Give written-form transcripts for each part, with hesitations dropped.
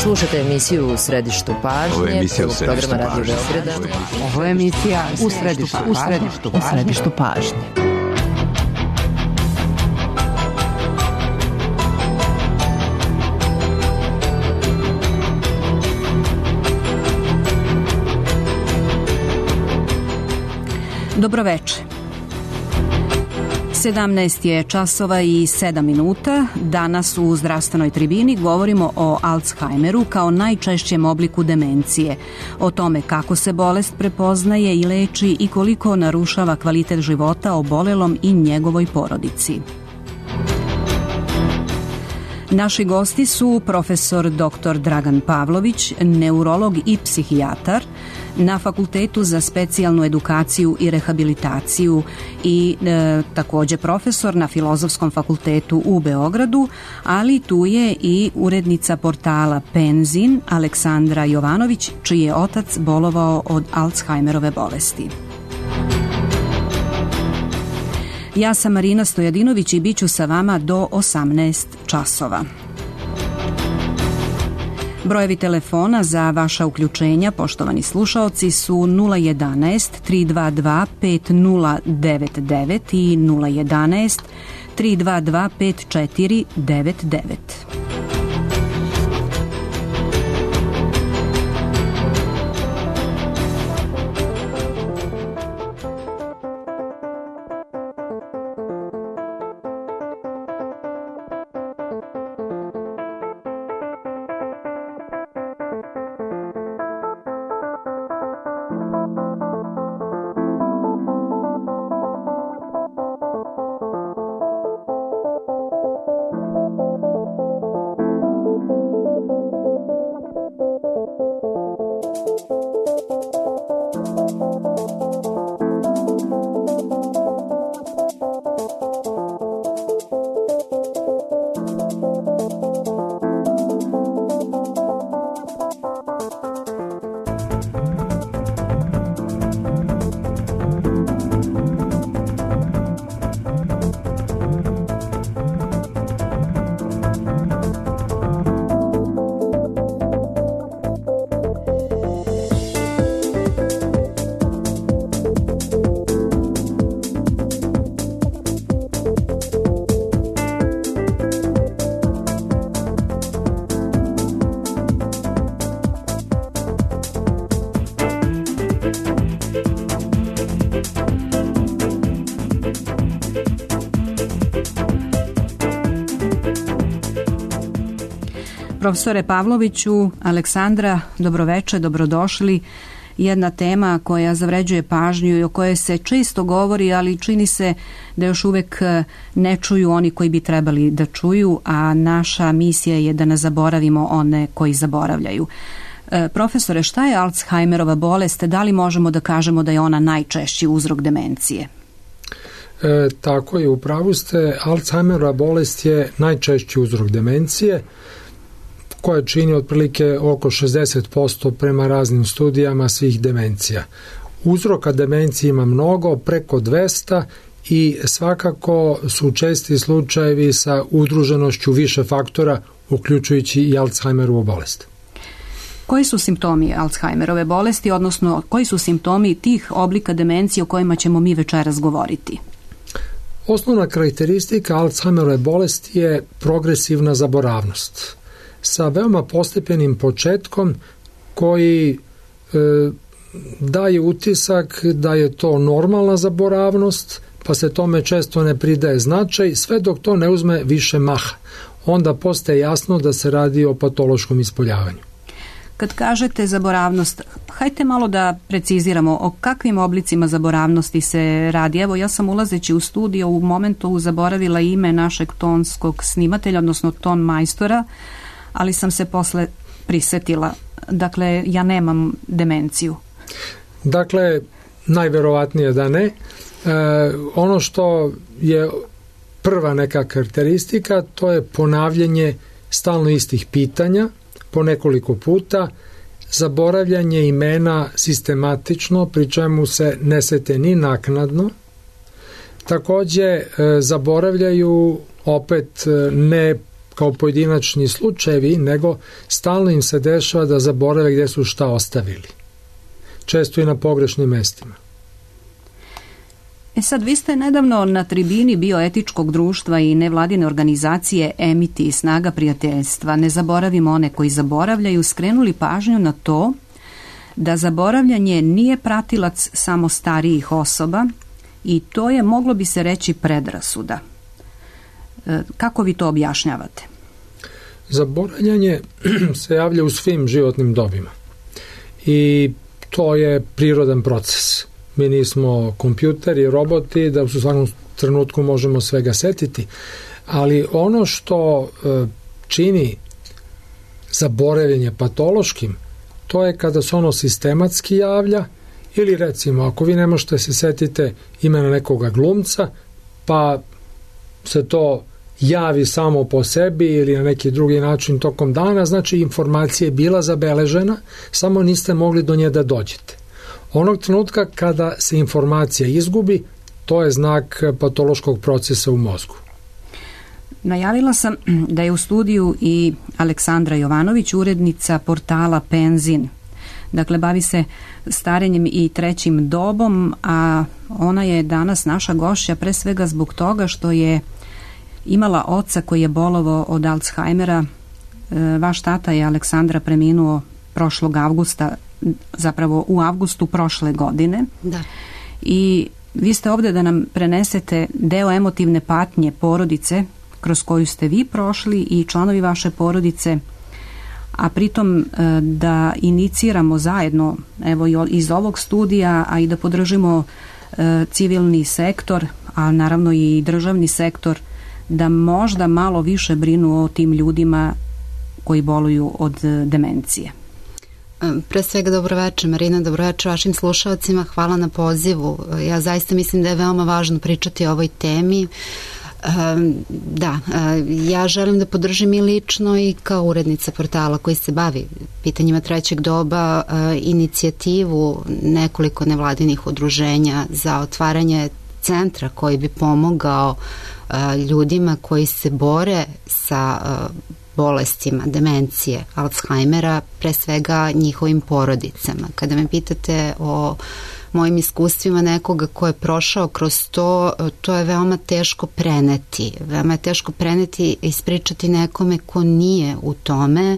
Slušajte emisiju U središtu pažnje, programa Radio Beograda. Ovo je emisija U središtu pažnje. Dobroveče. 17 je časova i 7 minuta. Danas u Zdravstvenoj tribini govorimo o Alzheimeru kao najčešćem obliku demencije, o tome kako se bolest prepoznaje i leči i koliko narušava kvalitet života obolelom i njegovoj porodici. Naši gosti su profesor dr. Dragan Pavlović, neurolog i psihijatar na Fakultetu za specijalnu edukaciju i rehabilitaciju i također profesor na Filozofskom fakultetu u Beogradu, ali tu je i urednica portala Penzin Aleksandra Jovanović, čiji je otac bolovao od Alzheimerove bolesti. Ja sam Marina Stojadinović i bit ću sa vama do 18 časova. Brojevi telefona za vaša uključenja, poštovani slušaoci, su 011 322 5099 i 011 322 5499. Profesore Pavloviću, Aleksandra, dobroveče, dobrodošli. Jedna tema koja zavređuje pažnju i o kojoj se često govori, ali čini se da još uvek ne čuju oni koji bi trebali da čuju, a naša misija je da ne zaboravimo one koji zaboravljaju. Profesore, šta je Alzheimerova bolest? Da li možemo da kažemo da je ona najčešći uzrok demencije? Tako je, u pravu ste. Alzheimerova bolest je najčešći uzrok demencije, koja čini otprilike oko 60% prema raznim studijama svih demencija. Uzroka demencije ima mnogo, preko 200, i svakako su česti slučajevi sa udruženošću više faktora, uključujući i Alzheimerovu bolest. Koji su simptomi Alzheimerove bolesti, odnosno koji su simptomi tih oblika demencije o kojima ćemo mi večeras govoriti? Osnovna karakteristika Alzheimerove bolesti je progresivna zaboravnost, sa veoma postepenim početkom koji daje utisak da je to normalna zaboravnost, pa se tome često ne pridaje značaj, sve dok to ne uzme više maha. Onda postaje jasno da se radi o patološkom ispoljavanju. Kad kažete zaboravnost, hajte malo da preciziramo o kakvim oblicima zaboravnosti se radi. Evo, ja sam ulazeći u studio u momentu zaboravila ime našeg tonskog snimatelja, odnosno ton majstora, ali sam se posle prisetila. Dakle, ja nemam demenciju. Dakle, najverovatnije da ne. Ono što je prva neka karakteristika, to je ponavljanje stalno istih pitanja po nekoliko puta, zaboravljanje imena sistematično, pri čemu se ne sete ni naknadno. Takođe, zaboravljaju opet ne kao pojedinačni slučajevi, nego stalno im se dešava da zaborave gdje su šta ostavili. Često i na pogrešnim mestima. Sad, vi ste nedavno na tribini bioetičkog društva i nevladine organizacije Emiti i Snaga prijateljstva, ne zaboravimo one koji zaboravljaju, skrenuli pažnju na to da zaboravljanje nije pratilac samo starijih osoba i to je, moglo bi se reći, predrasuda. Kako vi to objašnjavate? Zaboravljanje se javlja u svim životnim dobima i to je prirodan proces. Mi nismo kompjuteri, roboti, da u svakom trenutku možemo svega setiti, ali ono što čini zaboravljanje patološkim, to je kada se ono sistematski javlja ili recimo ako vi ne možete se setite imena nekoga glumca, pa se to javi samo po sebi ili na neki drugi način tokom dana, znači informacija je bila zabeležena, samo niste mogli do nje da dođete. Onog trenutka kada se informacija izgubi, to je znak patološkog procesa u mozgu. Najavila sam da je u studiju i Aleksandra Jovanović, urednica portala Penzin. Dakle, bavi se starenjem i trećim dobom, a ona je danas naša gošća pre svega zbog toga što je imala oca koji je bolovao od Alzheimera. Vaš tata je, Aleksandra, preminuo prošlog avgusta, zapravo u avgustu prošle godine. Da. I vi ste ovdje da nam prenesete deo emotivne patnje porodice kroz koju ste vi prošli i članovi vaše porodice, a pritom da iniciramo zajedno, evo iz ovog studija, a i da podržimo civilni sektor, a naravno i državni sektor, da možda malo više brinu o tim ljudima koji boluju od demencije. Pre svega dobroveče Marina, dobroveče vašim slušalcima, hvala na pozivu. Ja zaista mislim da je veoma važno pričati o ovoj temi. Ja želim da podržim i lično i kao urednica portala koji se bavi pitanjima trećeg doba inicijativu nekoliko nevladinih udruženja za otvaranje centra koji bi pomogao ljudima koji se bore sa bolestima, demencije, Alzheimera, pre svega njihovim porodicama. Kada me pitate o mojim iskustvima nekoga ko je prošao kroz to, to je veoma teško preneti. Veoma je teško preneti i ispričati nekome ko nije u tome,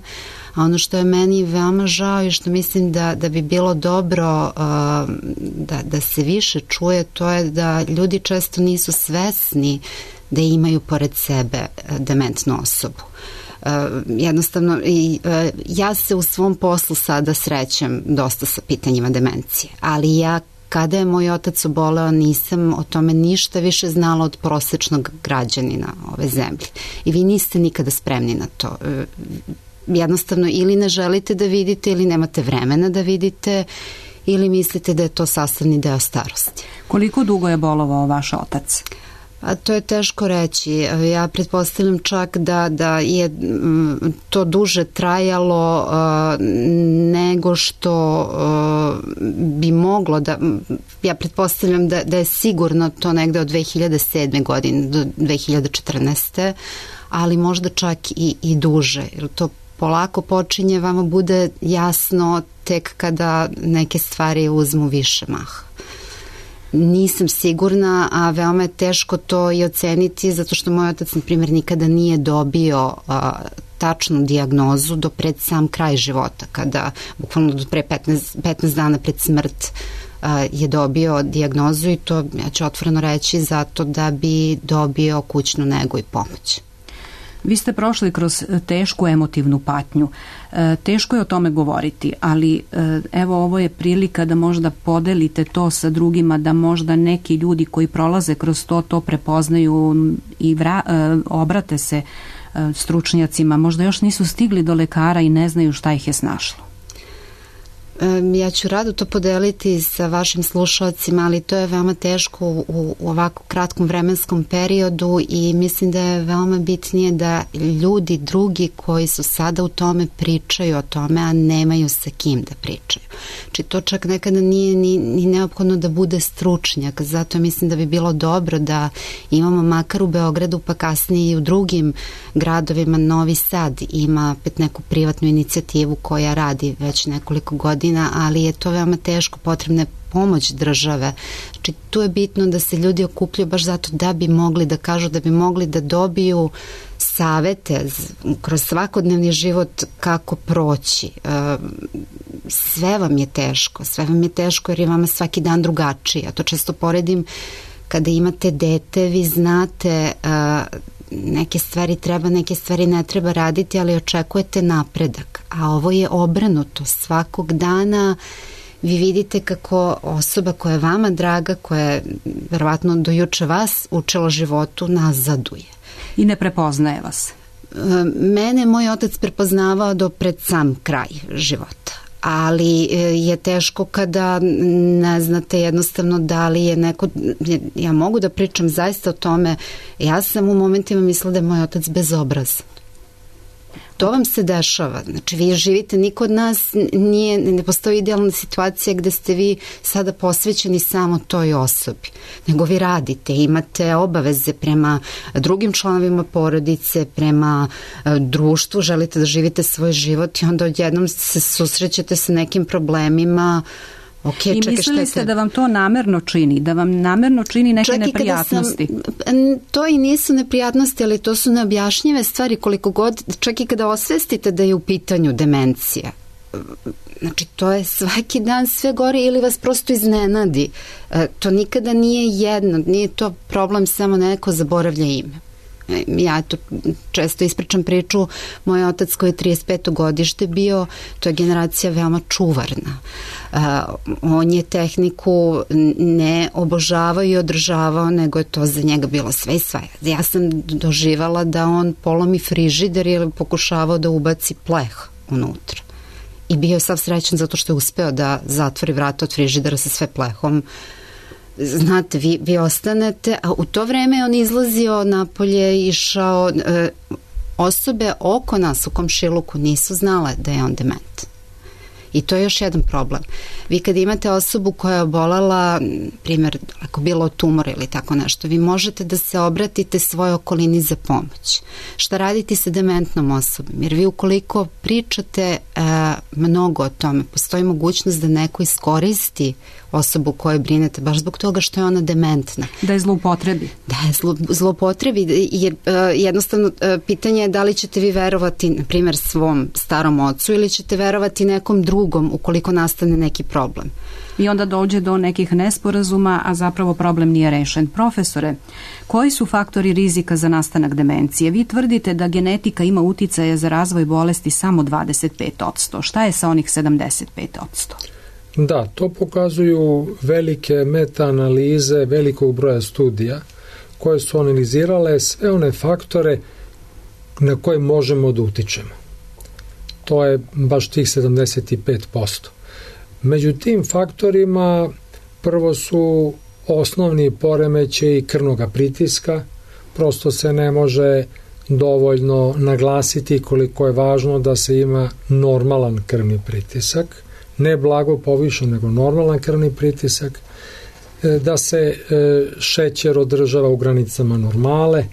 a ono što je meni veoma žao i što mislim da bi bilo dobro da se više čuje, to je da ljudi često nisu svesni da imaju pored sebe dementnu osobu. Jednostavno, ja se u svom poslu sada srećem dosta sa pitanjima demencije, ali ja kada je moj otac oboleo nisam o tome ništa više znala od prosečnog građanina ove zemlje i vi niste nikada spremni na to. Jednostavno ili ne želite da vidite ili nemate vremena da vidite ili mislite da je to sastavni deo starosti. Koliko dugo je bolovao vaš otac? A to je teško reći. Ja pretpostavljam čak da je to duže trajalo nego što bi moglo da... Ja pretpostavljam da je sigurno to negde od 2007. godine do 2014. ali možda čak i duže. Jer to polako počinje, vama bude jasno tek kada neke stvari uzmu više maha. Nisam sigurna, a veoma je teško to i oceniti zato što moj otac, na primjer, nikada nije dobio tačnu dijagnozu do pred sam kraj života, kada bukvalno do pre 15 dana pred smrt je dobio dijagnozu i to, ja ću otvoreno reći, zato da bi dobio kućnu negu i pomoć. Vi ste prošli kroz tešku emotivnu patnju. Teško je o tome govoriti, ali evo ovo je prilika da možda podelite to sa drugima, da možda neki ljudi koji prolaze kroz to prepoznaju i obrate se stručnjacima. Možda još nisu stigli do lekara i ne znaju šta ih je snašlo. Ja ću rado to podeliti sa vašim slušalcima, ali to je veoma teško u ovako kratkom vremenskom periodu i mislim da je veoma bitnije da ljudi drugi koji su sada u tome pričaju o tome, a nemaju sa kim da pričaju. Znači to čak nekada nije ni neophodno da bude stručnjak, zato mislim da bi bilo dobro da imamo makar u Beogradu, pa kasnije i u drugim gradovima. Novi Sad ima opet neku privatnu inicijativu koja radi već nekoliko godina, ali je to veoma teško, potrebna je pomoć države. Znači tu je bitno da se ljudi okupljaju baš zato da bi mogli da kažu, da bi mogli da dobiju savete kroz svakodnevni život kako proći. Sve vam je teško jer je vama svaki dan drugačiji. Ja to često poredim kada imate dete, vi znate neke stvari treba, neke stvari ne treba raditi, ali očekujete napredak. A ovo je obrnuto. Svakog dana vi vidite kako osoba koja je vama draga, koja je verovatno do juče vas učila životu, nazaduje. I ne prepoznaje vas. Mene moj otac prepoznavao do pred sam kraj života. Ali je teško kada ne znate jednostavno da li je neko, ja mogu da pričam zaista o tome, ja sam u momentima mislila da je moj otac bezobrazan. To vam se dešava, znači vi živite, niko od nas ne postoji idealna situacija gde ste vi sada posvećeni samo toj osobi, nego vi radite, imate obaveze prema drugim članovima porodice, prema društvu, želite da živite svoj život i onda odjednom se susrećete sa nekim problemima. Okay, I mislili ste da vam to namerno čini, da vam namerno čini neke neprijatnosti? To i nisu neprijatnosti, ali to su neobjašnjive stvari koliko god, čak i kada osvestite da je u pitanju demencija. Znači, to je svaki dan sve gore ili vas prosto iznenadi. To nikada nije jedno, nije to problem samo neko zaboravlja ime. Ja to često ispričam priču, moj otac koji je 35. godište bio, to je generacija veoma čuvarna. On je tehniku ne obožavao i održavao, nego je to za njega bilo sve i svaja. Ja sam doživala da on polomi frižider ili pokušavao da ubaci pleh unutra. I bio je sav srećan zato što je uspeo da zatvori vrata od frižidera sa sve plehom. Znate, vi ostanete, a u to vreme on izlazio napolje, išao, osobe oko nas u komšiluku nisu znale da je on dement. I to je još jedan problem. Vi kad imate osobu koja je obolela, primjer, ako bilo tumor ili tako nešto, vi možete da se obratite svojoj okolini za pomoć. Šta raditi sa dementnom osobom? Jer vi ukoliko pričate mnogo o tome, postoji mogućnost da neko iskoristi osobu koju brinete, baš zbog toga što je ona dementna. Da je zloupotrebi. Da je zloupotrebi, jer jednostavno pitanje je da li ćete vi verovati, na primjer, svom starom ocu ili ćete verovati nekom drugom ukoliko nastane neki problem. I onda dođe do nekih nesporazuma, a zapravo problem nije rešen. Profesore, koji su faktori rizika za nastanak demencije? Vi tvrdite da genetika ima uticaje za razvoj bolesti samo 25%. Šta je sa onih 75%? Da, to pokazuju velike meta-analize velikog broja studija koje su analizirale sve one faktore na koje možemo da utičemo. To je baš tih 75%. Među tim faktorima prvo su osnovni poremećaji krvnog pritiska, prosto se ne može dovoljno naglasiti koliko je važno da se ima normalan krvni pritisak, ne blago povišen, nego normalan krvni pritisak, da se šećer održava u granicama normale.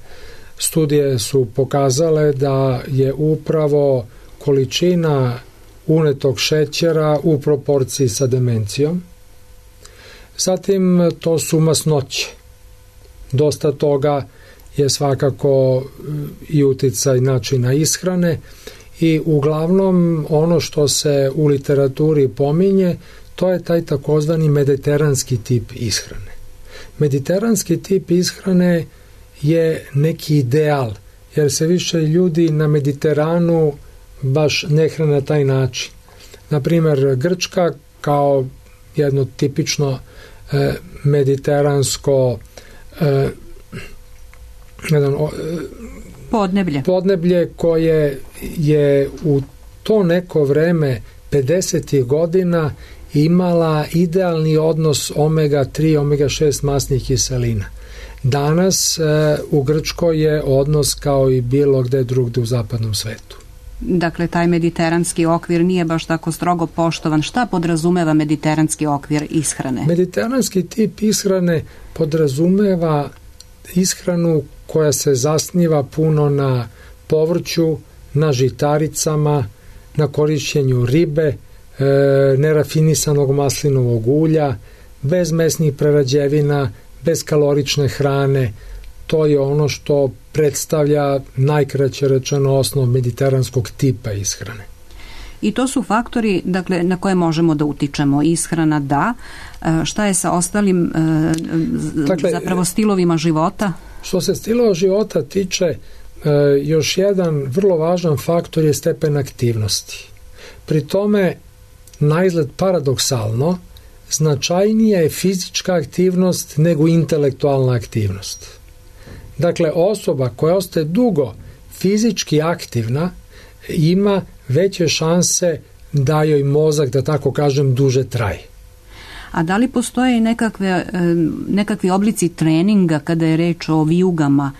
Studije su pokazale da je upravo količina unetog šećera u proporciji sa demencijom. Zatim to su masnoće. Dosta toga je svakako i uticaj načina ishrane i uglavnom ono što se u literaturi pominje, to je taj takozvani mediteranski tip ishrane. Mediteranski tip ishrane je neki ideal, jer se više ljudi na Mediteranu baš ne hrane na taj način. Naprimer, Grčka kao jedno tipično mediteransko podneblje koje je u to neko vreme 50. godina imala idealni odnos omega-3, omega-6 masnih kiselina. Danas u Grčkoj je odnos kao i bilo gde drugde u zapadnom svetu. Dakle, taj mediteranski okvir nije baš tako strogo poštovan. Šta podrazumeva mediteranski okvir ishrane? Mediteranski tip ishrane podrazumeva ishranu koja se zasniva puno na povrću, na žitaricama, na korišćenju ribe, nerafinisanog maslinovog ulja, bez mesnih prerađevina, bez kalorične hrane. To je ono što predstavlja najkraće rečeno osnov mediteranskog tipa ishrane. I to su faktori, dakle, na koje možemo da utičemo. Ishrana da, šta je sa ostalim zapravo stilovima života? Što se stilova života tiče, još jedan vrlo važan faktor je stepen aktivnosti. Pri tome, naizgled paradoksalno, značajnija je fizička aktivnost nego intelektualna aktivnost. Dakle, osoba koja ostaje dugo fizički aktivna ima veće šanse da joj mozak, da tako kažem, duže traje. A da li postoje i nekakvi oblici treninga kada je reč o vijugama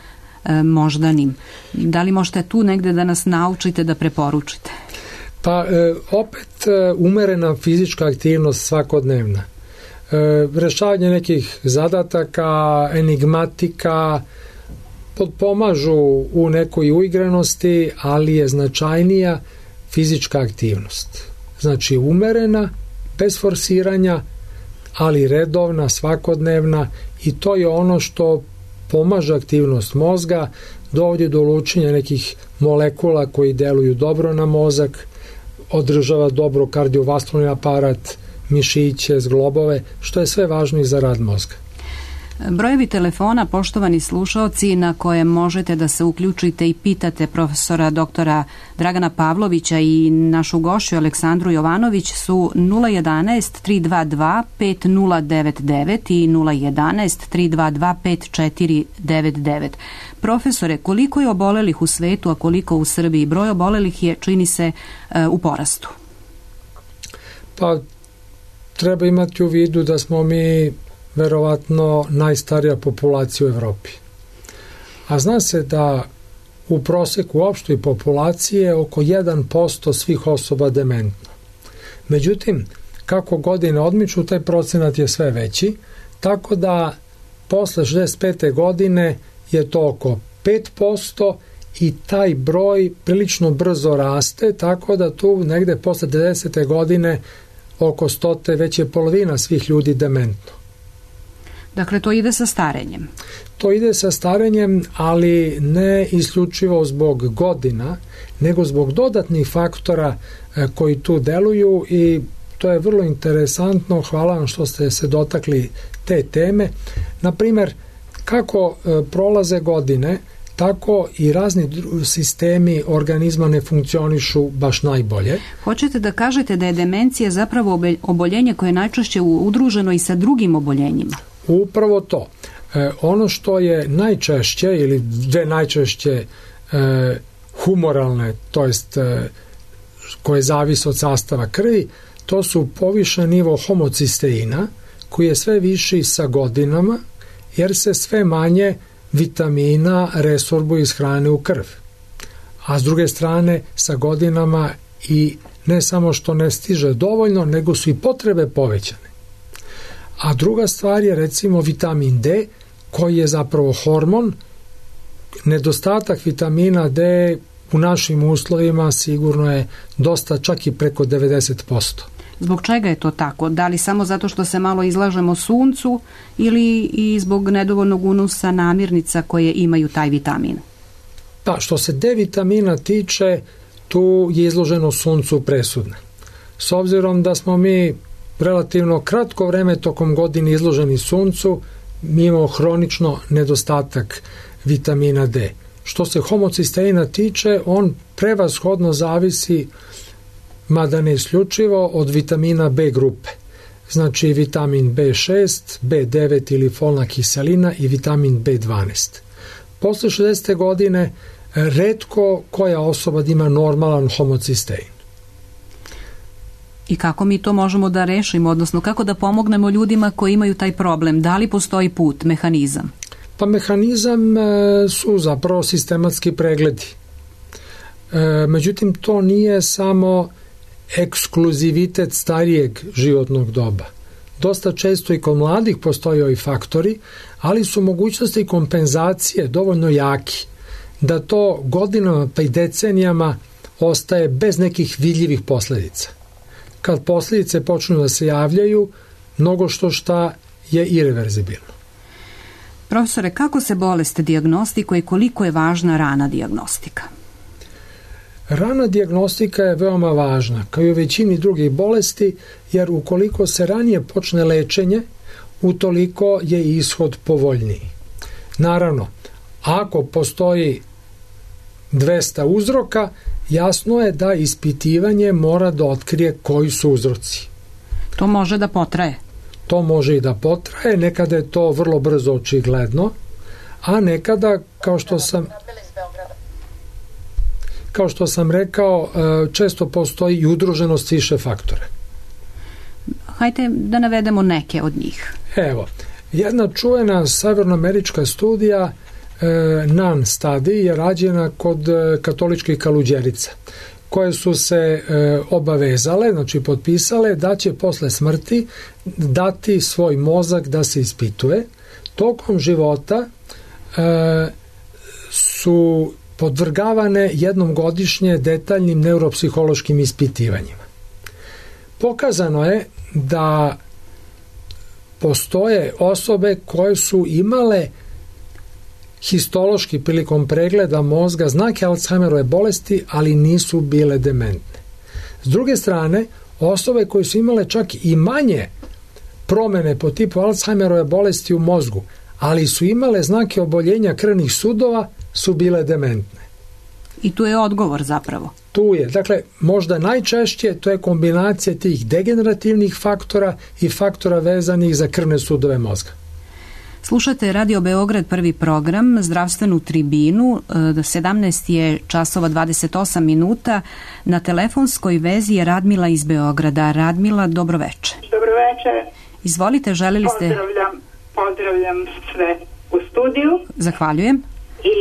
moždanim? Da li možete tu negde da nas naučite, da preporučite? Pa opet umerena fizička aktivnost svakodnevna. Rešavanje nekih zadataka, enigmatika, pomažu u nekoj uigranosti, ali je značajnija fizička aktivnost. Znači umerena, bez forsiranja, ali redovna, svakodnevna, i to je ono što pomaže aktivnost mozga, dovodi do lučenja nekih molekula koji deluju dobro na mozak, održava dobro kardiovaskularni aparat, mišiće, zglobove, što je sve važno i za rad mozga. Brojevi telefona, poštovani slušaoci, na koje možete da se uključite i pitate profesora doktora Dragana Pavlovića i našu gošću Aleksandru Jovanović su 011 322 5099 i 011 322 5499. Profesore, koliko je obolelih u svetu, a koliko u Srbiji? Broj obolelih je, čini se, u porastu. Pa, treba imati u vidu da smo mi verovatno najstarija populacija u Evropi. A zna se da u proseku opštoj populacije oko 1% svih osoba dementno. Međutim, kako godine odmiču, taj procenat je sve veći, tako da posle 65. godine je to oko 5% i taj broj prilično brzo raste, tako da tu negde posle 90. godine oko 100. već je polovina svih ljudi dementno. Dakle, to ide sa starenjem? To ide sa starenjem, ali ne isključivo zbog godina, nego zbog dodatnih faktora koji tu deluju, i to je vrlo interesantno. Hvala vam što ste se dotakli te teme. Naprimer, kako prolaze godine, tako i razni sistemi organizma ne funkcionišu baš najbolje. Hoćete da kažete da je demencija zapravo oboljenje koje je najčešće udruženo i sa drugim oboljenjima? Upravo to. Ono što je najčešće ili dve najčešće humoralne, to jest koje zavise od sastava krvi, to su povišen nivo homocisteina, koji je sve viši sa godinama, jer se sve manje vitamina resorbuje iz hrane u krv. A s druge strane, sa godinama i ne samo što ne stiže dovoljno, nego su i potrebe povećane. A druga stvar je recimo vitamin D, koji je zapravo hormon. Nedostatak vitamina D u našim uslovima sigurno je dosta, čak i preko 90%. Zbog čega je to tako? Da li samo zato što se malo izlažemo suncu ili i zbog nedovoljnog unosa namirnica koje imaju taj vitamin? Pa, što se D vitamina tiče, tu je izloženo suncu presudno. S obzirom da smo mi relativno kratko vreme tokom godine izloženi suncu, mi imamo hronično nedostatak vitamina D. Što se homocisteina tiče, on prevashodno zavisi, mada ne isključivo, od vitamina B grupe. Znači vitamin B6, B9 ili folna kiselina i vitamin B12. Posle 60. godine retko koja osoba ima normalan homocistein. I kako mi to možemo da rešimo, odnosno kako da pomognemo ljudima koji imaju taj problem? Da li postoji put, mehanizam? Pa mehanizam su zapravo sistematski pregledi. Međutim, to nije samo ekskluzivitet starijeg životnog doba. Dosta često i kod mladih postoje ovi faktori, ali su mogućnosti kompenzacije dovoljno jaki da to godinama pa i decenijama ostaje bez nekih vidljivih posledica. Kad posljedice počnu da se javljaju, mnogo šta je ireverzibilno. Profesore, kako se bolest dijagnostikuje i koliko je važna rana dijagnostika? Rana dijagnostika je veoma važna, kao i u većini drugih bolesti, jer ukoliko se ranije počne lečenje, utoliko je ishod povoljniji. Naravno, ako postoji 200 uzroka, jasno je da ispitivanje mora da otkrije koji su uzroci. To može da potraje? To može i da potraje, nekada je to vrlo brzo očigledno, a nekada, kao što sam rekao, često postoji i udruženost više faktora. Hajde da navedemo neke od njih. Evo, jedna čuvena severnoamerička studija NAN study je rađena kod katoličkih kaluđerica, koje su se obavezale, znači potpisale da će posle smrti dati svoj mozak da se ispituje. Tokom života su podvrgavane jednom godišnje detaljnim neuropsihološkim ispitivanjima. Pokazano je da postoje osobe koje su imale histološki prilikom pregleda mozga znake Alzheimerove bolesti, ali nisu bile dementne. S druge strane, osobe koje su imale čak i manje promene po tipu Alzheimerove bolesti u mozgu, ali su imale znake oboljenja krvnih sudova, su bile dementne. I tu je odgovor zapravo. Tu je. Dakle, možda najčešće to je kombinacija tih degenerativnih faktora i faktora vezanih za krvne sudove mozga. Slušate Radio Beograd, prvi program, zdravstvenu tribinu. 17 je časova 28 minuta. Na telefonskoj vezi je Radmila iz Beograda. Radmila, dobroveče. Dobroveče. Izvolite, želeli ste... Pozdravljam sve u studiju. Zahvaljujem. I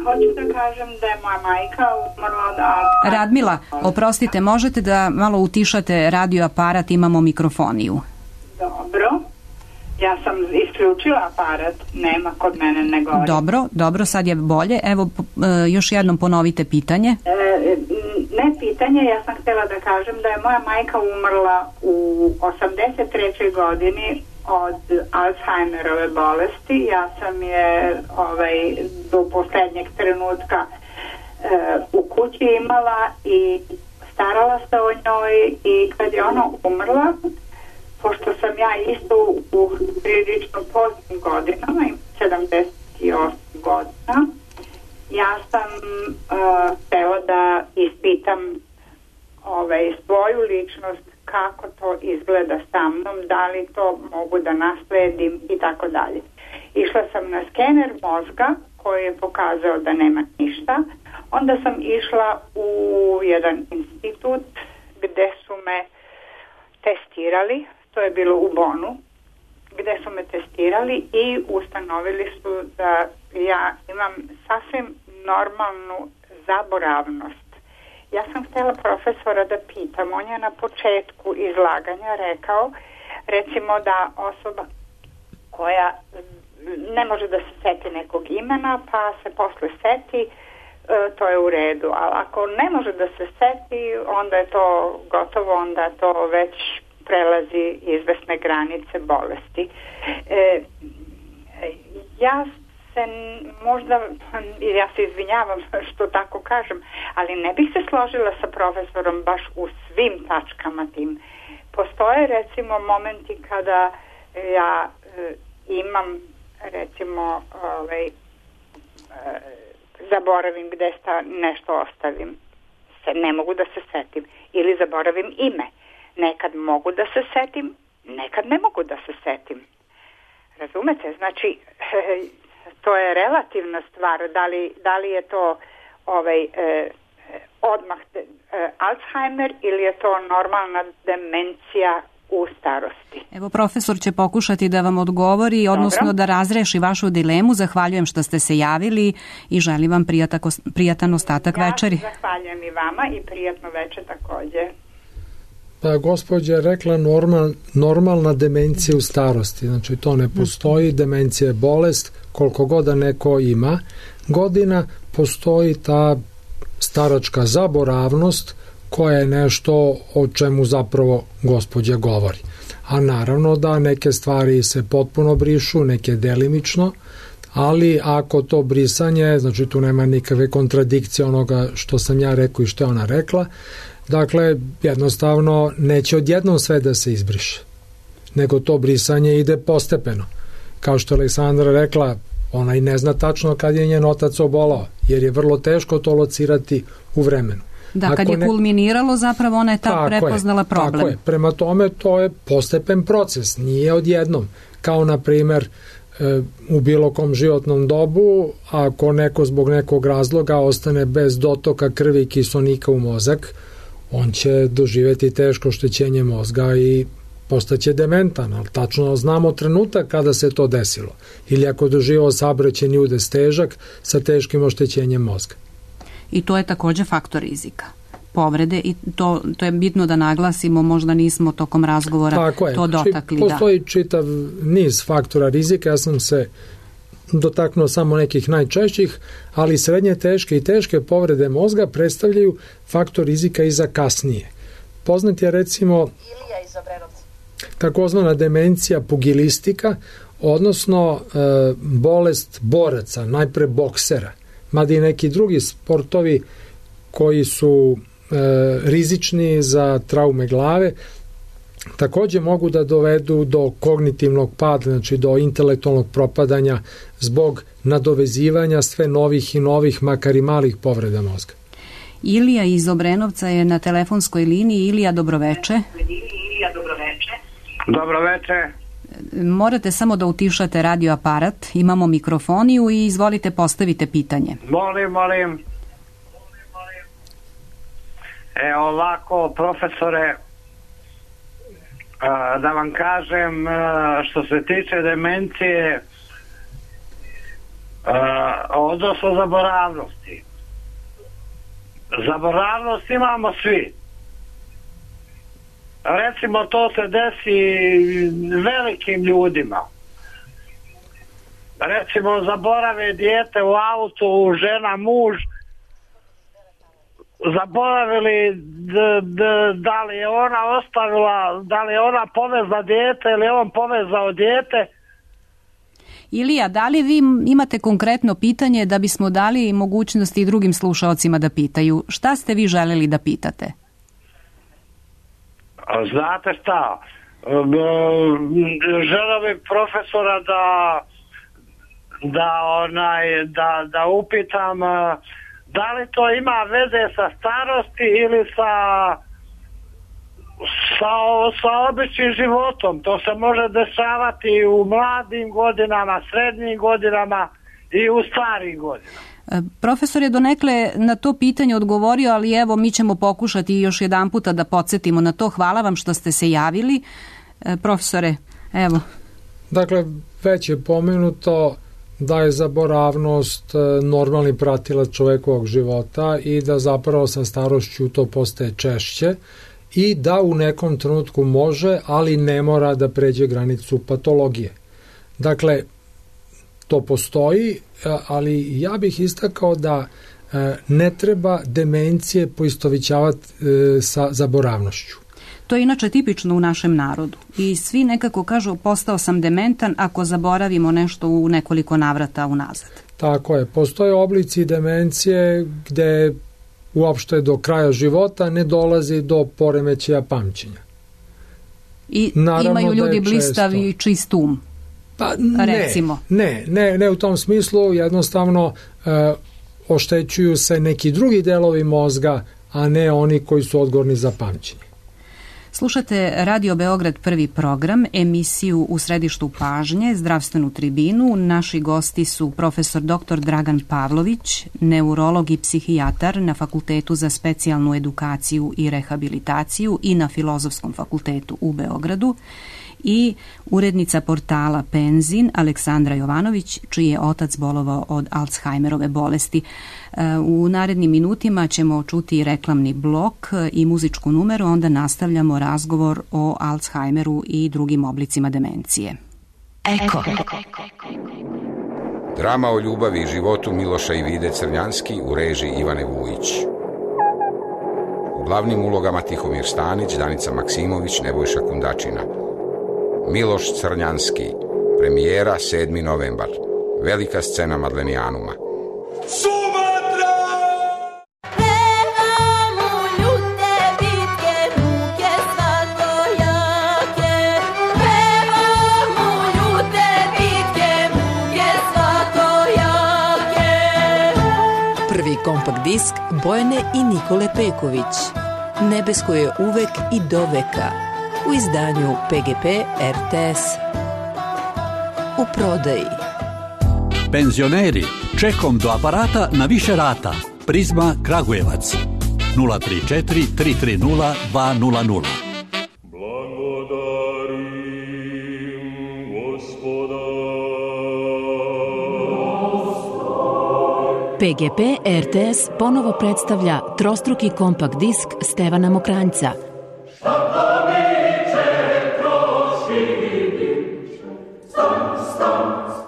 hoću da kažem da je moja majka umrla od Alzheimera. Radmila, oprostite, možete da malo utišate radio aparat, imamo mikrofoniju. Dobro. Ja sam isključila aparat, nema kod mene ne gori. Dobro, sad je bolje. Evo, još jednom ponovite pitanje. Ne pitanje, ja sam htjela da kažem da je moja majka umrla u 83. godini od Alzheimerove bolesti. Ja sam je do posljednjeg trenutka u kući imala i starala se o njoj, i kad je ona umrla, pošto sam ja isto u prilično poznim godinama, 78 godina, ja sam htjela da ispitam svoju ličnost, kako to izgleda sa mnom, da li to mogu da nasledim i tako dalje. Išla sam na skener mozga koji je pokazao da nema ništa. Onda sam išla u jedan institut gde su me testirali, to je bilo u Bonu, gde su me testirali i ustanovili su da ja imam sasvim normalnu zaboravnost. Ja sam htjela profesora da pitam, on je na početku izlaganja rekao, recimo da osoba koja ne može da se seti nekog imena, pa se posle seti, to je u redu, ali ako ne može da se seti, onda je to gotovo, onda to već prelazi izvesne granice bolesti. Ja se izvinjavam što tako kažem, ali ne bih se složila sa profesorom baš u svim tačkama tim. Postoje recimo momenti kada ja imam recimo zaboravim gde nešto ostavim, ne mogu da se setim, ili zaboravim ime. Nekad mogu da se setim, nekad ne mogu da se setim. Razumete? Znači, to je relativna stvar, da li je to odmah Alzheimer ili je to normalna demencija u starosti? Evo, profesor će pokušati da vam odgovori, odnosno da razreši vašu dilemu. Zahvaljujem što ste se javili i želim vam prijatan ostatak večeri. Ja zahvaljujem i vama i prijatno večer takođe. Pa gospođa je rekla normalna demencija u starosti, znači to ne postoji, demencija je bolest, koliko god da neko ima godina, postoji ta staračka zaboravnost koja je nešto o čemu zapravo gospođa govori. A naravno da neke stvari se potpuno brišu, neke delimično, ali ako to brisanje, znači tu nema nikakve kontradikcije onoga što sam ja rekao i što je ona rekla, dakle jednostavno neće odjednom sve da se izbriše, nego to brisanje ide postepeno. Kao što je Aleksandra rekla, ona i ne zna tačno kad je njen otac obolao, jer je vrlo teško to locirati u vremenu. Da, kad je kulminiralo, zapravo ona je tad prepoznala problem. Tako je, prema tome to je postepen proces, nije odjednom. Kao na primer u bilo kom životnom dobu, ako neko zbog nekog razloga ostane bez dotoka krvi i kiselnika u mozak, on će doživjeti teško oštećenje mozga i postaće dementan, ali tačno znamo trenutak kada se to desilo. Ili ako doživio saobraćajni udes težak sa teškim oštećenjem mozga. I to je također faktor rizika. Povrede i to je bitno da naglasimo, možda nismo tokom razgovora to dotakli. Postoji čitav niz faktora rizika, ja sam se dotaknuo samo nekih najčešćih, ali srednje teške i teške povrede mozga predstavljaju faktor rizika i za kasnije. Poznat je recimo takozvana demencija pugilistika, odnosno bolest boraca, najpre boksera, mada i neki drugi sportovi koji su rizični za traume glave, također mogu da dovedu do kognitivnog pada, znači do intelektualnog propadanja zbog nadovezivanja sve novih i novih, makar i malih povreda mozga. Ilija iz Obrenovca je na telefonskoj liniji. Ilija, dobroveče. Dobroveče. Morate samo da utišate radio aparat, imamo mikrofoniju i izvolite postavite pitanje. Molim. Ovako, profesore, da vam kažem, što se tiče demencije, odnosno zaboravnosti. Zaboravnost imamo svi. Recimo, to se desi velikim ljudima. Recimo, zaborave dijete u autu, žena, muž, zaboravili da li je ona ostavila, da li je ona povezla dijete ili on povezao dijete. Ilija, da li vi imate konkretno pitanje da bismo dali mogućnosti i drugim slušaocima da pitaju? Šta ste vi želeli da pitate? Znate šta? Želeo bih profesora da upitam da li to ima veze sa starosti ili sa običnim životom. To se može dešavati u mladim godinama, srednjim godinama i u starim godinama. Profesor je donekle na to pitanje odgovorio, ali evo mi ćemo pokušati još jedan puta da podsjetimo na to. Hvala vam što ste se javili. Profesore, evo. Dakle, već je pomenuto da je zaboravnost normalni pratilac čovekovog života i da zapravo sa starošću to postaje češće i da u nekom trenutku može, ali ne mora da pređe granicu patologije. Dakle, to postoji, ali ja bih istakao da ne treba demencije poistovićavati sa zaboravnošću. To je inače tipično u našem narodu i svi nekako kažu postao sam dementan ako zaboravimo nešto u nekoliko navrata unazad. Tako je, postoje oblici demencije gde uopšte do kraja života ne dolazi do poremećaja pamćenja. I naravno imaju ljudi blistav i čist um. Pa recimo. Ne u tom smislu, jednostavno oštećuju se neki drugi delovi mozga, a ne oni koji su odgovorni za pamćenje. Slušate Radio Beograd prvi program, emisiju U središtu pažnje, zdravstvenu tribinu. Naši gosti su profesor dr. Dragan Pavlović, neurolog i psihijatar na Fakultetu za specijalnu edukaciju i rehabilitaciju i na Filozofskom fakultetu u Beogradu, i urednica portala Penzin Aleksandra Jovanović, čiji je otac bolovao od Alzheimerove bolesti. U narednim minutima ćemo čuti reklamni blok i muzičku numeru, onda nastavljamo razgovor o Alzheimeru i drugim oblicima demencije. Eko. Drama o ljubavi i životu Miloša i Vide Crnjanski u režiji Ivane Vujić. U glavnim ulogama Tihomir Stanić, Danica Maksimović, Nebojša Kundačina. Miloš Crnjanski, premijera 7. novembar, velika scena Madlenijanuma. Sumatra! Pevamo ljute bitke, muke svatojake. Pevamo ljute bitke, muke svatojake. Prvi kompakt disk Bojane i Nikole Peković. Nebesko je uvek i do veka. U izdanju PGP RTS. U prodaji. Penzioneri, čekom do aparata na više rata. Prizma Kragujevac 034 330 200. PGP RTS ponovo predstavlja trostruki kompakt disk Stevana Mokranjca.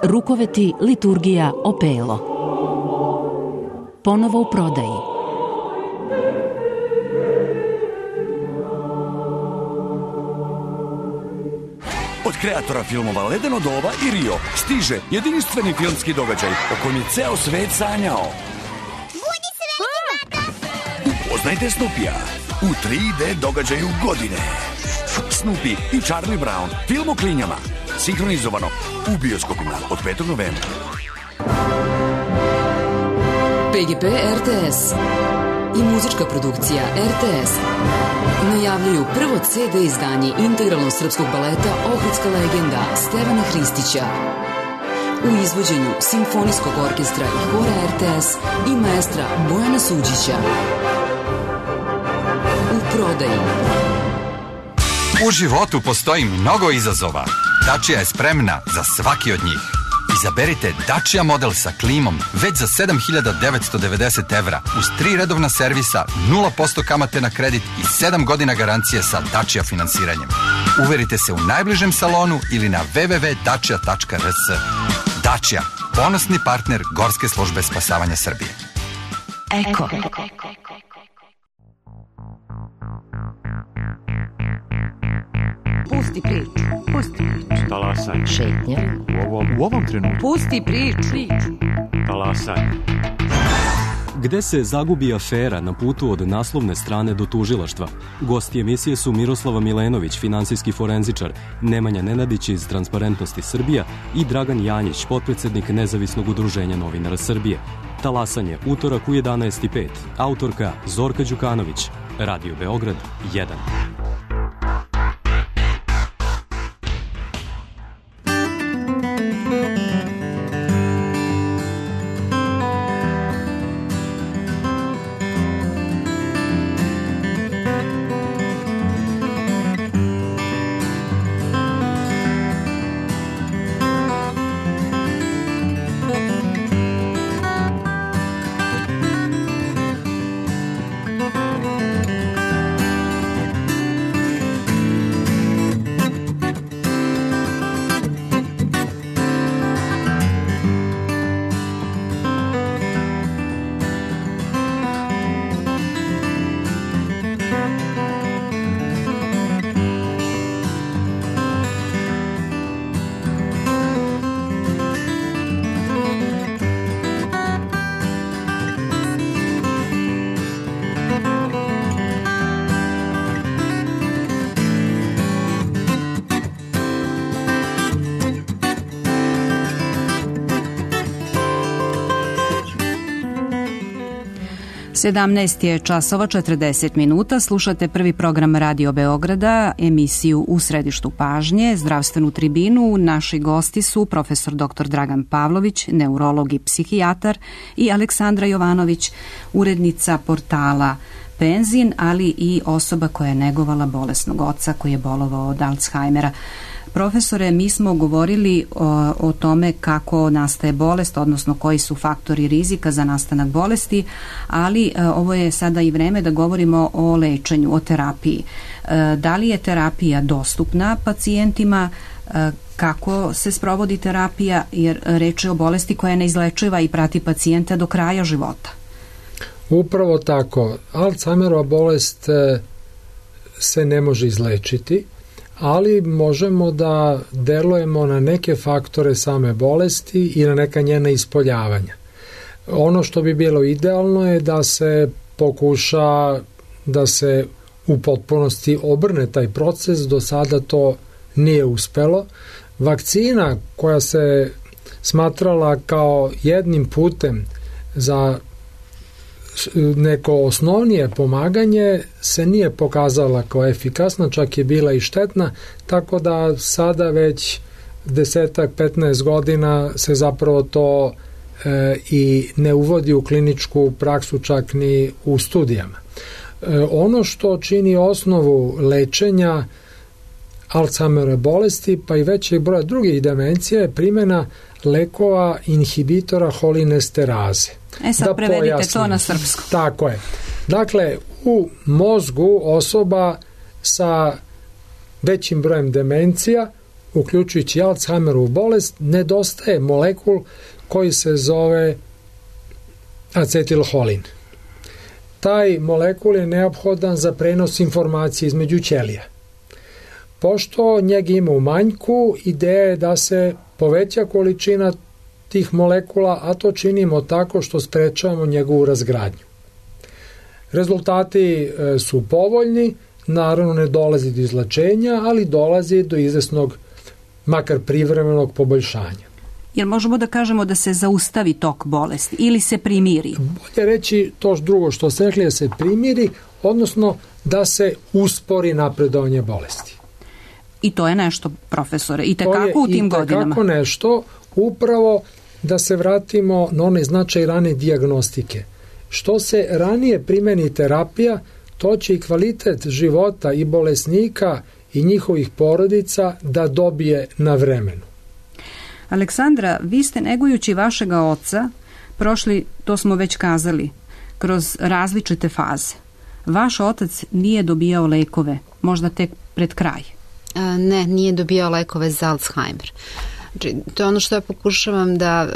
Rukoveti liturgija Opelo. Ponovo u prodaji. Od kreatora filmova Ledeno doba i Rio stiže jedinstveni filmski događaj o kojem je ceo svet sanjao. Budi se veliki tata! Upoznajte Snoopija u 3D događaju godine. Snoopy i Charlie Brown, film o klinjama. Sinhronizovano u bioskopima od 5. novembra. PGP RTS i muzička produkcija RTS najavljuju prvo CD izdanje integralnog srpskog baleta Ohridska legenda Stevana Hristića u izvođenju Simfonijskog orkestra i hora RTS i maestra Bojana Suđića. U prodaji. U životu postoji mnogo izazova. Dacia je spremna za svaki od njih. Izaberite Dacia model sa klimom već za 7.990 evra uz 3 redovna servisa, 0% kamate na kredit i 7 godina garancije sa Dacia finansiranjem. Uverite se u najbližem salonu ili na www.dacia.rs. Dacia, ponosni partner Gorske službe spasavanja Srbije. Eko. Pusti priču. Pusti priču. Talasanje. Šetnja. U ovom trenutku. Pusti priču. Talasanje. Gde se zagubi afera na putu od naslovne strane do tužilaštva? Gosti emisije su Miroslava Milenović, finansijski forenzičar, Nemanja Nenadić iz Transparentnosti Srbija i Dragan Janjić, potpredsednik Nezavisnog udruženja novinara Srbije. Talasanje, utorak u 11:05. Autorka Zorka Đukanović. Radio Beograd 1. 17 je časova 40 minuta, slušate prvi program Radio Beograda, emisiju U središtu pažnje, zdravstvenu tribinu. Naši gosti su profesor dr. Dragan Pavlović, neurolog i psihijatar, i Aleksandra Jovanović, urednica portala Penzin, ali i osoba koja je negovala bolesnog oca koji je bolovao od Alzheimera. Profesore, mi smo govorili o tome kako nastaje bolest, odnosno koji su faktori rizika za nastanak bolesti, ali ovo je sada i vreme da govorimo o lečenju, o terapiji. Da li je terapija dostupna pacijentima, kako se sprovodi terapija, jer reč je o bolesti koja je neizlečiva i prati pacijenta do kraja života? Upravo tako. Alzheimerova bolest se ne može izlečiti, ali možemo da delujemo na neke faktore same bolesti i na neka njena ispoljavanja. Ono što bi bilo idealno je da se pokuša da se u potpunosti obrne taj proces, do sada to nije uspelo. Vakcina koja se smatrala kao jednim putem za neko osnovnije pomaganje se nije pokazala kao efikasna, čak je bila i štetna, tako da sada već 10-15 godina se zapravo to i ne uvodi u kliničku praksu, čak ni u studijama. Ono što čini osnovu lečenja Alzheimerove bolesti, pa i većeg broja drugih demencija, je primjena lekova inhibitora holinesteraze. Sad prevedite to na srpsko. Tako je. Dakle, u mozgu osoba sa većim brojem demencija, uključujući Alzheimerovu bolest, nedostaje molekul koji se zove acetilholin. Taj molekul je neophodan za prenos informacije između ćelija. Pošto njega ima u manjku, ideja je da se poveća količina tih molekula, a to činimo tako što sprečavamo njegovu razgradnju. Rezultati su povoljni, naravno ne dolazi do izlečenja, ali dolazi do izvesnog, makar privremenog poboljšanja. Jel možemo da kažemo da se zaustavi tok bolesti ili se primiri? Bolje reći to drugo što ste rekli, da se primiri, odnosno da se uspori napredovanje bolesti. I to je nešto, profesore, i tekako u tim godinama. I tekako nešto, upravo da se vratimo na onaj značaj rane dijagnostike. Što se ranije primeni terapija, to će i kvalitet života i bolesnika i njihovih porodica da dobije na vremenu. Aleksandra, vi ste negujući vašega oca prošli, to smo već kazali, kroz različite faze. Vaš otac nije dobijao lekove, možda tek pred kraj. Ne, nije dobijao lekove za Alzheimer. To je ono što ja pokušavam da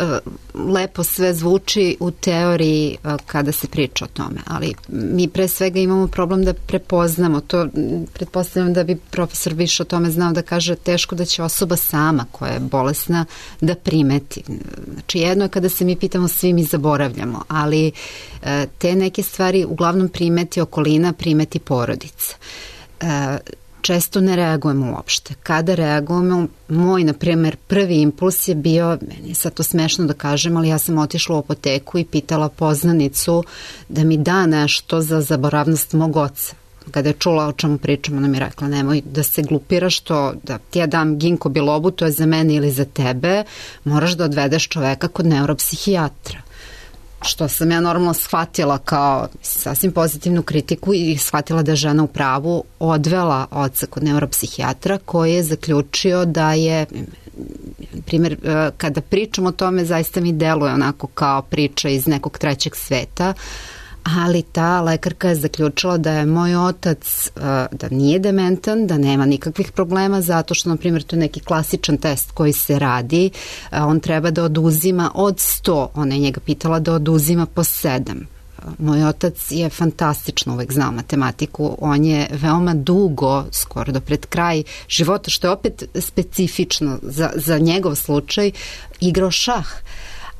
lepo sve zvuči u teoriji kada se priča o tome, ali mi pre svega imamo problem da prepoznamo to. Pretpostavljam da bi profesor više o tome znao, da kaže teško da će osoba sama koja je bolesna da primeti. Znači jedno je kada se mi pitamo, svi mi zaboravljamo, ali te neke stvari uglavnom primeti okolina, primeti porodica. Često ne reagujemo uopšte. Kada reagujemo, moj, na primjer, prvi impuls je bio, meni je sad to smešno da kažem, ali ja sam otišla u apoteku i pitala poznanicu da mi da nešto za zaboravnost mog oca. Kada je čula o čemu pričam, ona mi je rekla, nemoj da se glupiraš, to da ti ja dam ginko bilobu, to je za mene ili za tebe, moraš da odvedeš čoveka kod neuropsihijatra. Što sam ja normalno shvatila kao sasvim pozitivnu kritiku i shvatila da je žena u pravu, odvela oca kod neuropsihijatra koji je zaključio da je, primjer, kada pričam o tome, zaista mi deluje onako kao priča iz nekog trećeg sveta, ali ta lekarka je zaključila da je moj otac, da nije dementan, da nema nikakvih problema, zato što, na primjer, to je neki klasičan test koji se radi, on treba da oduzima od 100, ona je njega pitala da oduzima po 7. Moj otac je fantastično uvek znao matematiku, on je veoma dugo, skoro do pred kraj života, što je opet specifično za njegov slučaj, igrao šah.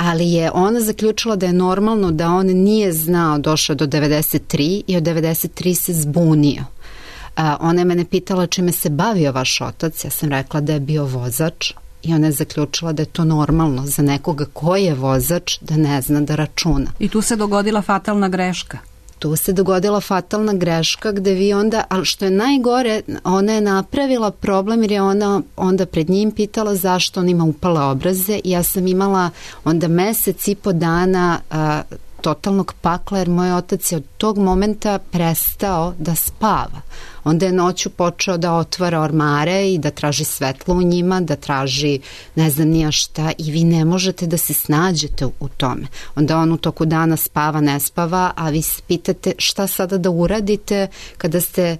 Ali je ona zaključila da je normalno da on nije znao, došao do 93 i od 93 se zbunio. Ona je mene pitala čime se bavio vaš otac, ja sam rekla da je bio vozač i ona je zaključila da je to normalno za nekoga ko je vozač da ne zna da računa. I tu se dogodila fatalna greška. tu se dogodila fatalna greška gde vi onda, ali što je najgore, ona je napravila problem jer je ona onda pred njim pitala zašto on ima upale obraze i ja sam imala onda mesec i po dana totalnog pakla jer moj otac je od tog momenta prestao da spava. Onda je noću počeo da otvara ormare i da traži svetlo u njima, da traži ne znam nija šta i vi ne možete da se snađete u tome. Onda on u toku dana spava, ne spava, a vi se pitate šta sada da uradite kada ste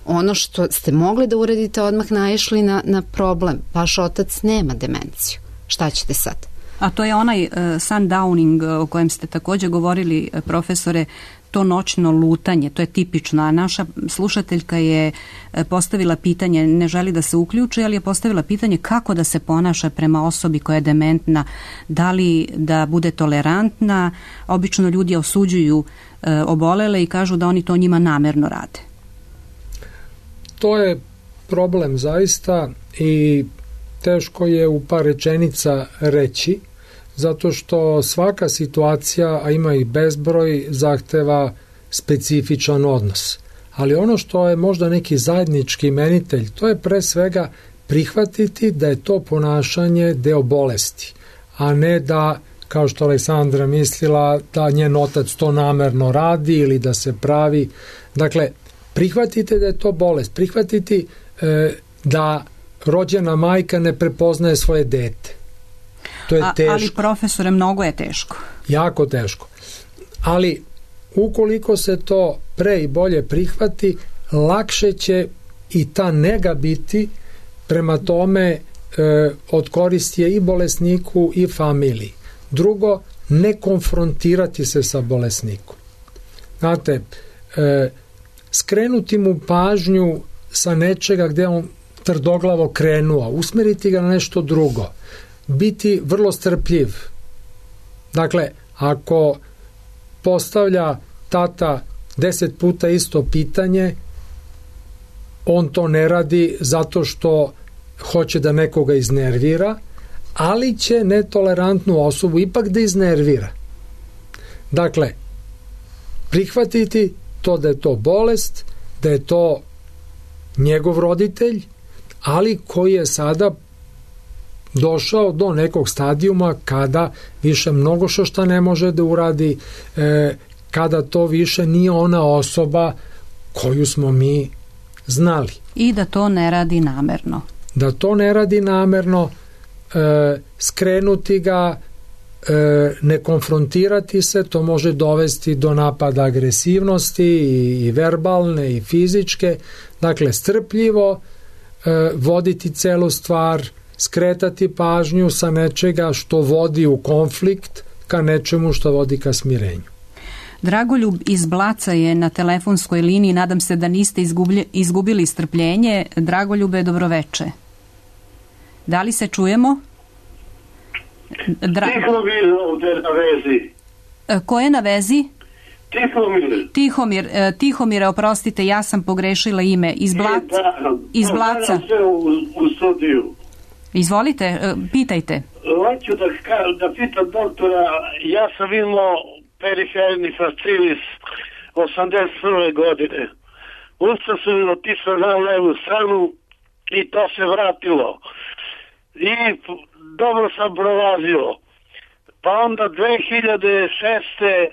ono što ste mogli da uradite odmah naišli na problem. Vaš otac nema demenciju. Šta ćete sad? A to je onaj sundowning o kojem ste također govorili, profesore, to noćno lutanje, to je tipično. A naša slušateljka je postavila pitanje, ne želi da se uključi, ali je postavila pitanje kako da se ponaša prema osobi koja je dementna, da li da bude tolerantna. Obično ljudi osuđuju obolele i kažu da oni to njima namerno rade. To je problem zaista i teško je u par rečenica reći, zato što svaka situacija, a ima ih bezbroj, zahteva specifičan odnos. Ali ono što je možda neki zajednički imenitelj, to je pre svega prihvatiti da je to ponašanje deo bolesti, a ne da, kao što Aleksandra mislila, da njen otac to namerno radi ili da se pravi. Dakle, prihvatite da je to bolest, prihvatiti da rođena majka ne prepoznaje svoje dete. To je teško. Ali profesore, mnogo je teško. Jako teško. Ali ukoliko se to pre i bolje prihvati, lakše će i ta nega biti, prema tome od koristi je i bolesniku i familiji. Drugo, ne konfrontirati se sa bolesnikom. Znate, skrenuti mu pažnju sa nečega gde on trdoglavo krenuo, usmeriti ga na nešto drugo, biti vrlo strpljiv. Dakle, ako postavlja tata 10 puta isto pitanje, on to ne radi zato što hoće da nekoga iznervira, ali će netolerantnu osobu ipak da iznervira. Dakle, prihvatiti to da je to bolest, da je to njegov roditelj, ali koji je sada došao do nekog stadijuma kada više mnogo što ne može da uradi, kada to više nije ona osoba koju smo mi znali. I da to ne radi namerno. Da to ne radi namerno, skrenuti ga, ne konfrontirati se, to može dovesti do napada agresivnosti i verbalne i fizičke. Dakle, strpljivo voditi celu stvar, skretati pažnju sa nečega što vodi u konflikt ka nečemu što vodi ka smirenju. Dragoljub iz Blaca je na telefonskoj liniji, nadam se da niste izgubili strpljenje. Dragoljube, dobroveče. Da li se čujemo? Tihomir ovdje na vezi. Ko je na vezi? Tihomir. Tihomire, oprostite, ja sam pogrešila ime. Iz Blaca. U studiju. Izvolite, pitajte. Hoću da pitam doktora, ja sam imao periferni fascitis 81. godine. Usta su mi otisla na levu stranu i to se vratilo. I dobro sam prolazio. Pa onda 2006.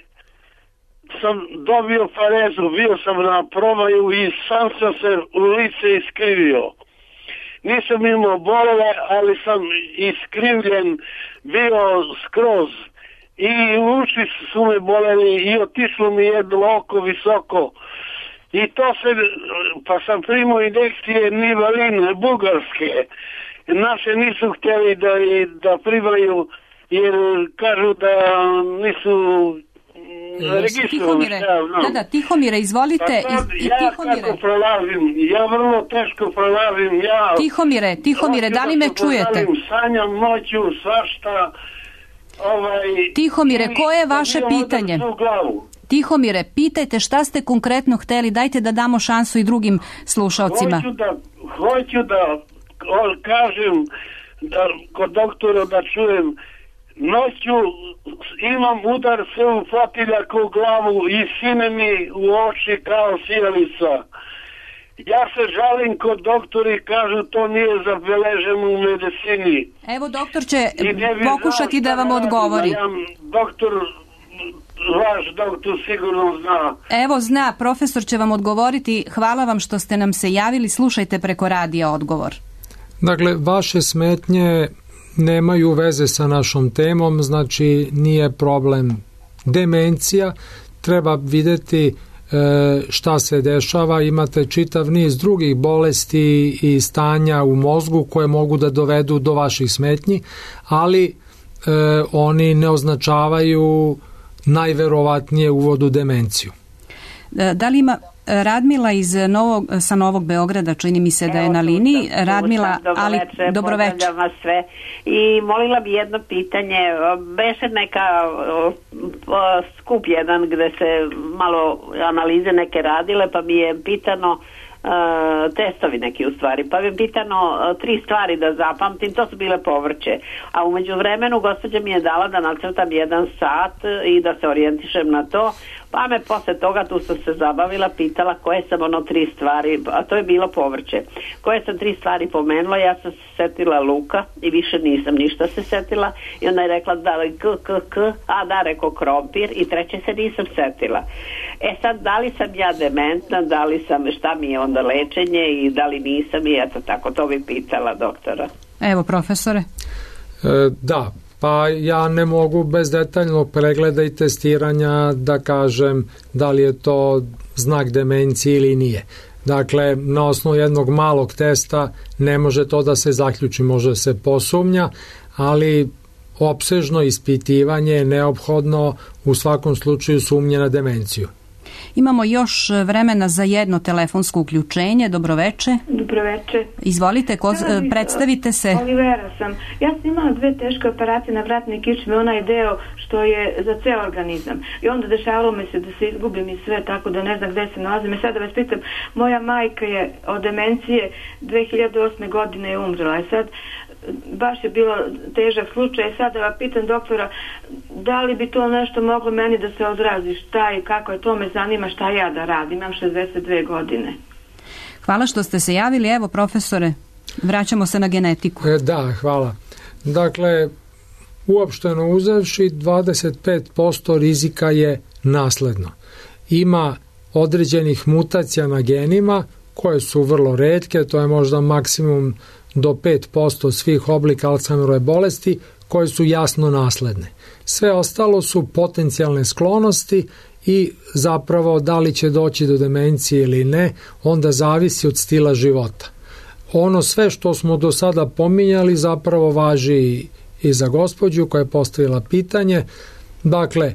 sam dobio parezu, bio sam na probaju i sam se u lice iskrivio. Nisam imao bolove, ali sam iskrivljen bio skroz. I uši su me boleli i otišlo mi jedno oko visoko. I to se, pa sam primao injekcije nivaline, bugarske. Naše nisu htjeli da primaju, jer kažu da nisu registrovani. Tihomire, izvolite. Kako prolazim? Ja vrlo teško prolazim. Tihomire, da li me čujete? Sanjam noću, svašta. Tihomire, koje je vaše pitanje? Tihomire, pitajte šta ste konkretno hteli, dajte da damo šansu i drugim slušalcima. Hoću da kažem da kod doktora da čujem, Noću imam udar se u fotilja u glavu i sine mi u oči kao sijalica. Ja se žalim kod doktori, kažu to nije zabeleženo u medicini. Evo, doktor će pokušati da vam odgovori. Doktor, vaš doktor sigurno zna. Evo, zna, profesor će vam odgovoriti. Hvala vam što ste nam se javili. Slušajte preko radija odgovor. Dakle, vaše smetnje nemaju veze sa našom temom, znači nije problem demencija, treba videti šta se dešava, imate čitav niz drugih bolesti i stanja u mozgu koje mogu da dovedu do vaših smetnji, ali oni ne označavaju najverovatnije uvod u demenciju. Da li ima Radmila sa Novog Beograda, čini mi se da je na liniji. Radmila, ali dobroveče. Pozdravljam vas sve. I molila bi jedno pitanje. Beše neka skup jedan gde se malo analize neke radile, pa mi je pitano testovi neki u stvari, pa bi pitano 3 stvari da zapamtim, to su bile povrće, a umeđu vremenu gospođa mi je dala da nacrtam 1 sat i da se orijentišem na to, pa me posle toga, tu sam se zabavila, pitala koje sam 3 stvari, a to je bilo povrće, koje sam 3 stvari pomenula. Ja sam se setila luka i više nisam ništa se setila, i onda je rekla da li a da, rekao krompir, i treće se nisam setila. Sad, da li sam ja dementna, da li sam, šta mi je onda lečenje i da li nisam, i eto tako, to bi pitala doktora. Evo, profesore. Da, pa ja ne mogu bez detaljnog pregleda i testiranja da kažem da li je to znak demencije ili nije. Dakle, na osnovu jednog malog testa ne može to da se zaključi, može se posumnja, ali opsežno ispitivanje je neophodno, u svakom slučaju sumnje na demenciju. Imamo još vremena za jedno telefonsko uključenje. Dobroveče. Dobroveče. Izvolite, predstavite se. Olivera sam. Ja sam imala 2 teške operacije na vratnoj kičmi, onaj deo što je za ceo organizam. I onda dešavalo mi se da se izgubim i sve, tako da ne znam gde se nalazim. I sada vas pitam, moja majka je od demencije 2008. godine je umrla. I sad baš je bilo težak slučaj. Sada vas pitam doktora, da li bi to nešto moglo meni da se odrazi, šta i kako je, to me zanima, šta ja da radim, imam 62 godine. Hvala što ste se javili. Evo, profesore, vraćamo se na genetiku. Da, hvala. Dakle, uopšteno uzevši 25% rizika je nasledno. Ima određenih mutacija na genima koje su vrlo retke, to je možda maksimum do 5% svih oblika Alzheimerove bolesti koje su jasno nasledne. Sve ostalo su potencijalne sklonosti i zapravo da li će doći do demencije ili ne, onda zavisi od stila života. Ono sve što smo do sada pominjali zapravo važi i za gospođu koja je postavila pitanje. Dakle,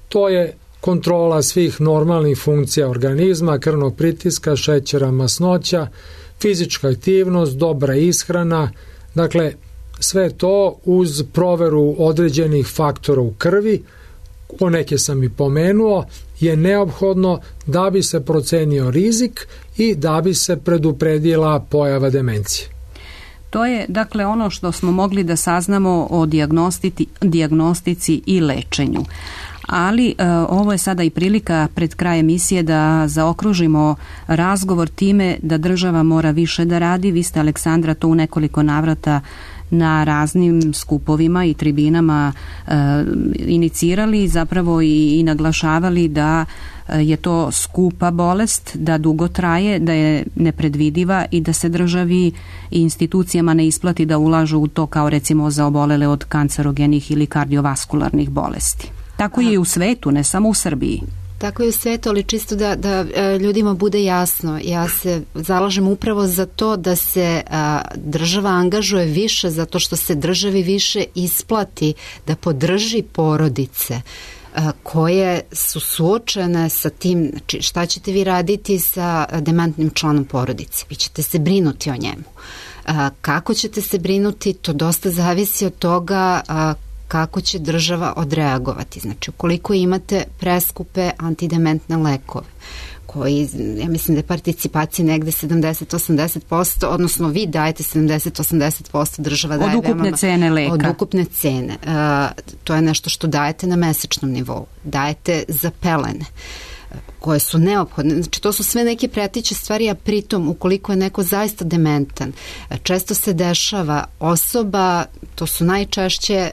to je kontrola svih normalnih funkcija organizma, krvnog pritiska, šećera, masnoća, fizička aktivnost, dobra ishrana, dakle sve to uz proveru određenih faktora u krvi, o neke sam i pomenuo, je neophodno da bi se procenio rizik i da bi se predupredila pojava demencije. To je, dakle, ono što smo mogli da saznamo o dijagnostici i lečenju. Ali ovo je sada i prilika pred kraj emisije da zaokružimo razgovor time da država mora više da radi. Vi ste, Aleksandra, to u nekoliko navrata na raznim skupovima i tribinama inicirali, zapravo i naglašavali da je to skupa bolest, da dugo traje, da je nepredvidiva i da se državi i institucijama ne isplati da ulažu u to kao recimo za obolele od kancerogenih ili kardiovaskularnih bolesti. Tako je i u svetu, ne samo u Srbiji. Tako je u svetu, ali čisto da ljudima bude jasno. Ja se zalažem upravo za to da se država angažuje više, zato što se državi više isplati da podrži porodice koje su suočene sa tim, znači šta ćete vi raditi sa dementnim članom porodice? Vi ćete se brinuti o njemu. Kako ćete se brinuti, to dosta zavisi od toga kako će država odreagovati. Znači, ukoliko imate preskupe antidementne lekove koji, ja mislim da je participacija negde 70-80%, odnosno vi dajete 70-80%, država daje od ukupne cene leka. Od ukupne cene. To je nešto što dajete na mesečnom nivou. Dajete za pelene koje su neophodne. Znači, to su sve neke preteće stvari, a pritom, ukoliko je neko zaista dementan, često se dešava osoba, to su najčešće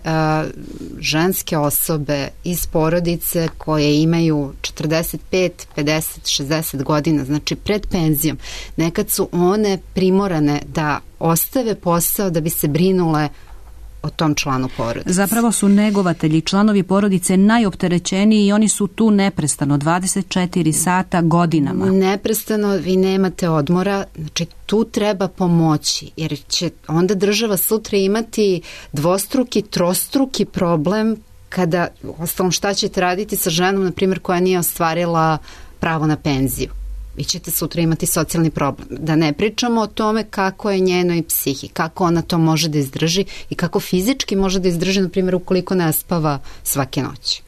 ženske osobe iz porodice koje imaju 45, 50, 60 godina, znači pred penzijom. Nekad su one primorane da ostave posao da bi se brinule o tom članu porodice. Zapravo su negovatelji, članovi porodice najopterećeniji i oni su tu neprestano, 24 sata godinama. Neprestano, vi nemate odmora, znači tu treba pomoći, jer će onda država sutra imati dvostruki, trostruki problem kada, ostalom šta ćete raditi sa ženom, na primjer, koja nije ostvarila pravo na penziju. Vi ćete sutra imati socijalni problem. Da ne pričamo o tome kako je njenoj psihi, kako ona to može da izdrži i kako fizički može da izdrži, na primjer, ukoliko ne spava svake noći.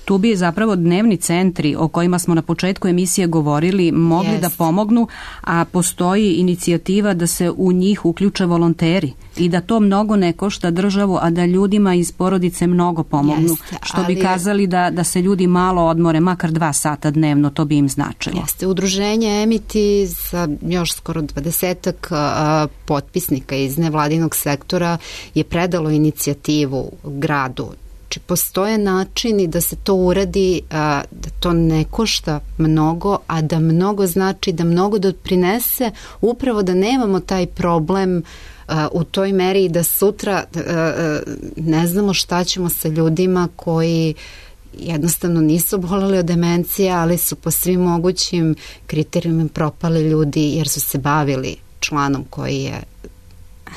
Tu bi zapravo dnevni centri o kojima smo na početku emisije govorili mogli da pomognu, a postoji inicijativa da se u njih uključe volonteri i da to mnogo ne košta državu, a da ljudima iz porodice mnogo pomognu. Što bi kazali da se ljudi malo odmore, makar 2 sata dnevno, to bi im značilo. Jeste, udruženje Emiti sa još skoro 20-ak potpisnika iz nevladinog sektora je predalo inicijativu gradu. Znači, postoje načini da se to uradi, da to ne košta mnogo, a da mnogo znači, da mnogo doprinese upravo da nemamo taj problem u toj meri i da sutra ne znamo šta ćemo sa ljudima koji jednostavno nisu oboleli od demencije, ali su po svim mogućim kriterijumima propali ljudi jer su se bavili članom koji je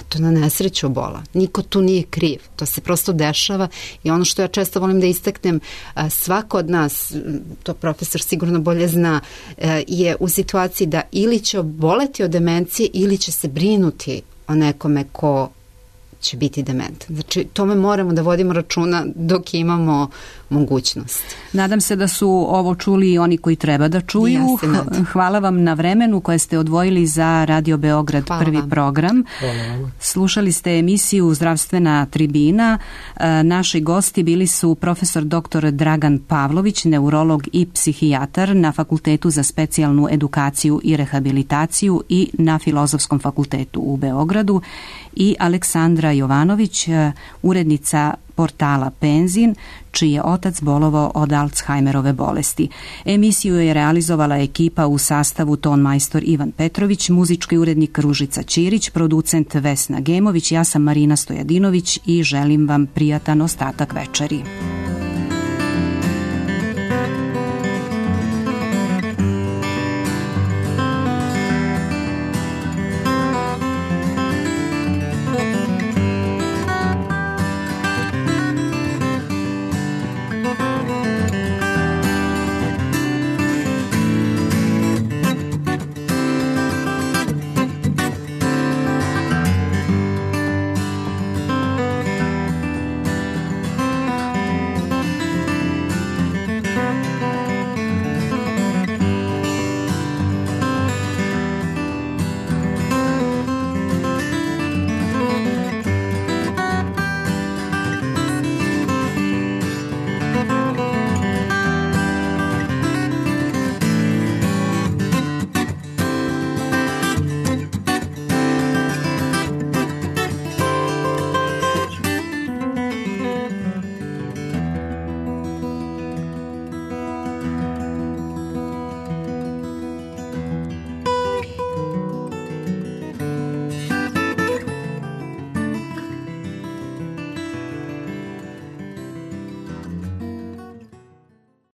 to na nesreću obola. Niko tu nije kriv. To se prosto dešava i ono što ja često volim da istaknem, svako od nas, to profesor sigurno bolje zna, je u situaciji da ili će oboleti od demencije ili će se brinuti o nekome ko će biti dementan. Znači, tome moramo da vodimo računa dok imamo mogućnost. Nadam se da su ovo čuli i oni koji treba da čuju. Hvala vam na vremenu koje ste odvojili za Radio Beograd prvi program. Slušali ste emisiju Zdravstvena tribina. Naši gosti bili su profesor dr. Dragan Pavlović, neurolog i psihijatar na Fakultetu za specijalnu edukaciju i rehabilitaciju i na Filozofskom fakultetu u Beogradu, i Aleksandra Jovanović, urednica portala Penzin, čiji je otac bolovao od Alzheimerove bolesti. Emisiju je realizovala ekipa u sastavu tonmajstor Ivan Petrović, muzički urednik Ružica Ćirić, producent Vesna Gemović, ja sam Marina Stojadinović i želim vam prijatan ostatak večeri.